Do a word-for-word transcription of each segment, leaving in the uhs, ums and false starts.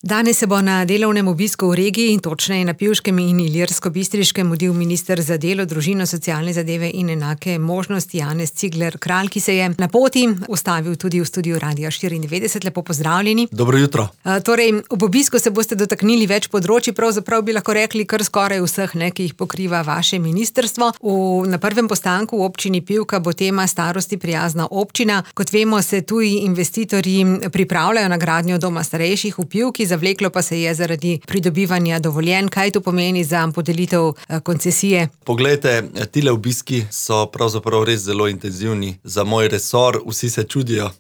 Danes se bo na delovnem obisku v regiji, točneje na Pivškem in Ilirsko-Bistriškem, mudil minister za delo, družino, socialne zadeve in enake možnosti Janez Cigler Kralj, ki se je na poti ustavil tudi v studiu Radia štiriindevetdeset. Lepo pozdravljeni. Dobro jutro. A, torej, ob obisku se boste dotaknili več področji, pravzaprav bi lahko rekli kar skoraj vseh, ne, ki jih pokriva vaše ministrstvo. V, na prvem postanku v občini Pivka bo tema starosti prijazna občina. Kot vemo, se tuji investitorji pripravljajo na gradnjo doma starejših v Pivki. Zavleklo pa se je zaradi pridobivanja dovoljenj. Kaj to pomeni za podelitev koncesije? Poglejte, tile obiski so pravzaprav res zelo intenzivni za moj resor. Vsi se čudijo,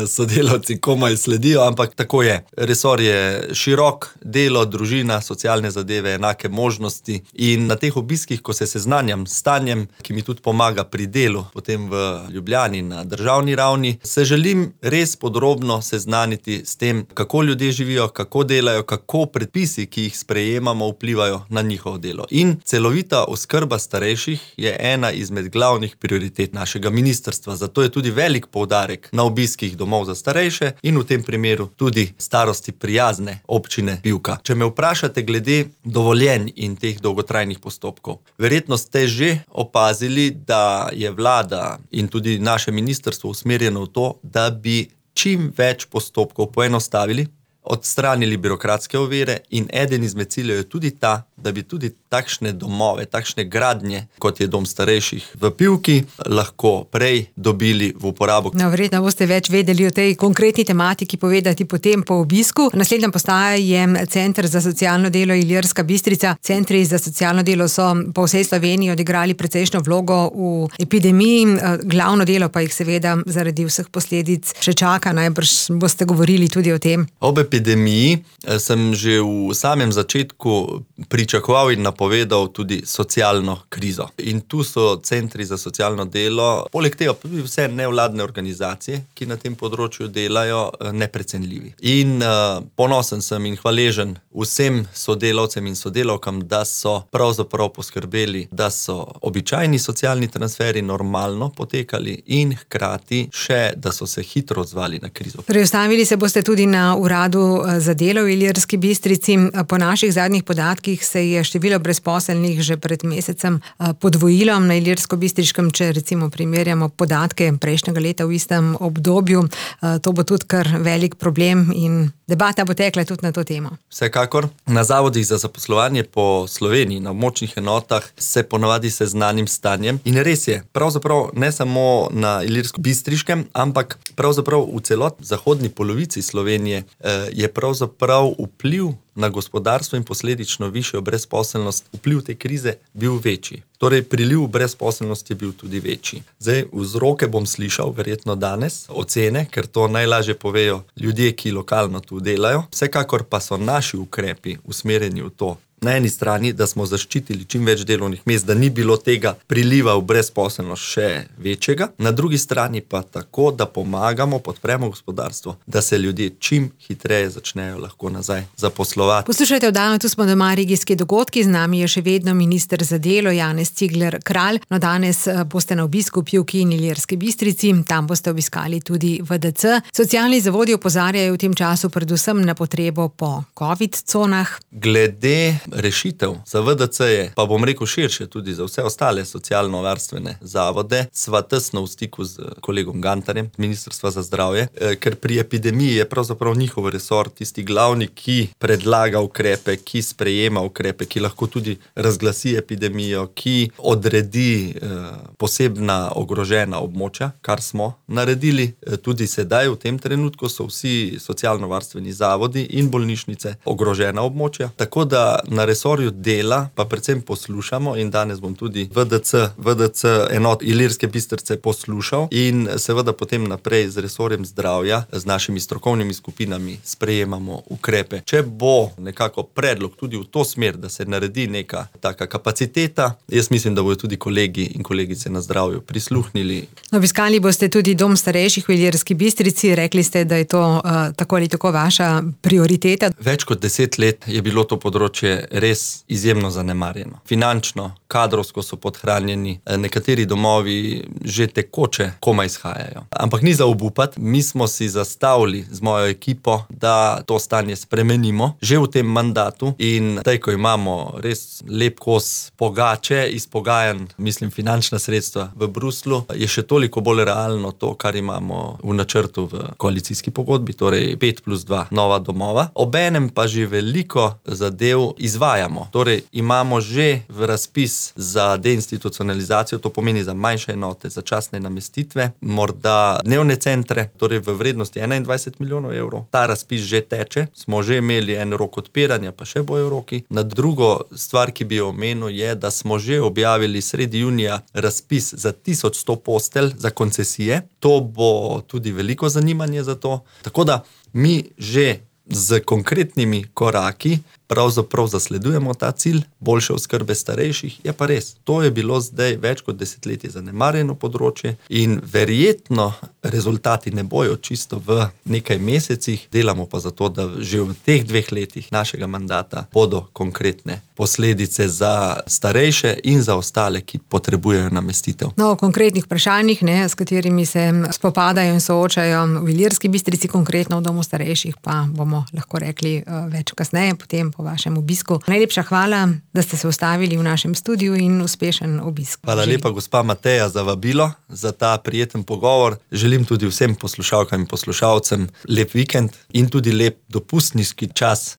sodelavci komaj sledijo, ampak tako je. Resor je širok, delo, družina, socialne zadeve, enake možnosti. In na teh obiskih, ko se seznanjam s stanjem, ki mi tudi pomaga pri delu, potem v Ljubljani na državni ravni, se želim res podrobno seznaniti s tem, kako ljudje živijo, kako kako delajo, kako predpisi, ki jih sprejemamo, vplivajo na njihovo delo. In celovita oskrba starejših je ena izmed glavnih prioritet našega ministrstva. Zato je tudi velik poudarek na obiskih domov za starejše in v tem primeru tudi starosti prijazne občine Pivka. Če me vprašate glede dovoljenj in teh dolgotrajnih postopkov, verjetno ste že opazili, da je vlada in tudi naše ministrstvo usmerjeno v to, da bi čim več postopkov poenostavili, odstranili birokratske ovire in eden izmed ciljev je tudi ta, da bi tudi takšne domove, takšne gradnje, kot je dom starejših v Pivki, lahko prej dobili v uporabo. No, verjetno boste več vedeli o tej konkretni tematiki povedati potem po obisku. Naslednja postaja je Center za socialno delo Ilirska Bistrica. Centri za socialno delo so po vsej Sloveniji odigrali precejšnjo vlogo v epidemiji, glavno delo pa jih seveda zaradi vseh posledic še čaka. Najbrž boste govorili tudi o tem. Ob epidemiji sem že v samem začetku pričakoval in napovedal tudi socialno krizo. In tu so centri za socialno delo, poleg tega tudi vse nevladne organizacije, ki na tem področju delajo, neprecenljivi. In uh, ponosen sem in hvaležen vsem sodelavcem in sodelavkam, da so pravzaprav poskrbeli, da so običajni socialni transferi normalno potekali in hkrati še, da so se hitro odzvali na krizo. Preostavili se boste tudi na uradu za delo v Ilirski Bistrici. Po naših zadnjih podatkih se je število brezposelnih že pred mesecem podvojilo na Ilirsko-Bistriškem, če recimo primerjamo podatke prejšnjega leta v istem obdobju. To bo tudi kar velik problem in debata bo tekla tudi na to temo. Vsekakor. Na zavodih za zaposlovanje po Sloveniji, na območnih enotah se ponavadi seznanim stanjem in res je, pravzaprav ne samo na Ilirsko-Bistriškem, ampak pravzaprav v celotni zahodni polovici Slovenije je pravzaprav vpliv na gospodarstvo in posledično višjo brezposelnost, vpliv te krize bil večji. Torej, priliv brezposelnosti je bil tudi večji. Zdaj, vzroke bom slišal verjetno danes, ocene, ker to najlažje povejo ljudje, ki lokalno tu delajo. Vsekakor pa so naši ukrepi usmerjeni v to, na eni strani, da smo zaščitili čim več delovnih mest, da ni bilo tega priliva v brezposelnost še večjega. Na drugi strani pa tako, da pomagamo, podpremo gospodarstvo, da se ljudje čim hitreje začnejo lahko nazaj zaposlovati. Poslušajte oddajo, tu smo doma regijski dogodki, z nami je še vedno minister za delo Janez Cigler Kralj. No, danes boste na obisku v Pivki in Ilirski Bistrici, tam boste obiskali tudi V D C. Socialni zavodi opozarjajo v tem času predvsem na potrebo po covid conah. Glede rešitev za V D C je, pa bom rekel širše tudi za vse ostale socialno-varstvene zavode, sva tesno v stiku z kolegom Gantarjem, Ministrstva za zdravje, ker pri epidemiji je pravzaprav njihov resor tisti glavni, ki predlaga ukrepe, ki sprejema ukrepe, ki lahko tudi razglasi epidemijo, ki odredi eh, posebna ogrožena območja, kar smo naredili. Tudi sedaj v tem trenutku so vsi socialno-varstveni zavodi in bolnišnice ogrožena območja, tako da na resorju dela pa predvsem poslušamo in danes bom tudi V D C, V D C enot Ilirske Bistrice poslušal in seveda potem naprej z resorjem zdravja, z našimi strokovnimi skupinami sprejemamo ukrepe. Če bo nekako predlog tudi v to smer, da se naredi neka taka kapaciteta, jaz mislim, da bodo tudi kolegi in kolegice na zdravju prisluhnili. Obiskali boste tudi dom starejših v Ilirski Bistrici, rekli ste, da je to uh, tako ali tako vaša prioriteta. Več kot deset let je bilo to področje res izjemno zanemarjeno. Finančno, kadrovsko so podhranjeni, nekateri domovi že tekoče komaj izhajajo. Ampak ni za obupati, mi smo si zastavili z mojo ekipo, da to stanje spremenimo že v tem mandatu in zdaj, ko imamo res lep kos pogače, izpogajan, mislim, finančna sredstva v Bruslu, je še toliko bolj realno to, kar imamo v načrtu v koalicijski pogodbi, torej pet plus dva nova domova. Obenem pa že veliko zadev izvajamo. Torej, imamo že v razpis za deinstitucionalizacijo, to pomeni za manjše enote, za časne namestitve, morda dnevne centre, torej v vrednosti enaindvajset milijonov evrov. Ta razpis že teče, smo že imeli en rok odpiranja, pa še bojo roki. Na drugo stvar, ki bi jo omenil, je, da smo že objavili sredi junija razpis za tisoč sto postelj za koncesije. To bo tudi veliko zanimanje za to. Tako da mi že z konkretnimi koraki pravzaprav zasledujemo ta cilj boljše oskrbe starejših. Je pa res, to je bilo zdaj več kot desetletje zanemarjeno področje in verjetno rezultati ne bojo čisto v nekaj mesecih, delamo pa zato, da že v teh dveh letih našega mandata bodo konkretne posledice za starejše in za ostale, ki potrebujejo namestitev. No, o konkretnih vprašanjih, ne, s katerimi se spopadajo in soočajo v Ilirski Bistrici, konkretno v domu starejših, pa bomo lahko rekli več kasneje, potem po vašem obisku. Najlepša hvala, da ste se ustavili v našem studiu in uspešen obisk. Hvala lepa, gospa Mateja, za vabilo, za ta prijeten pogovor. Želim tudi vsem poslušalkam in poslušalcem lep vikend in tudi lep dopustniški čas.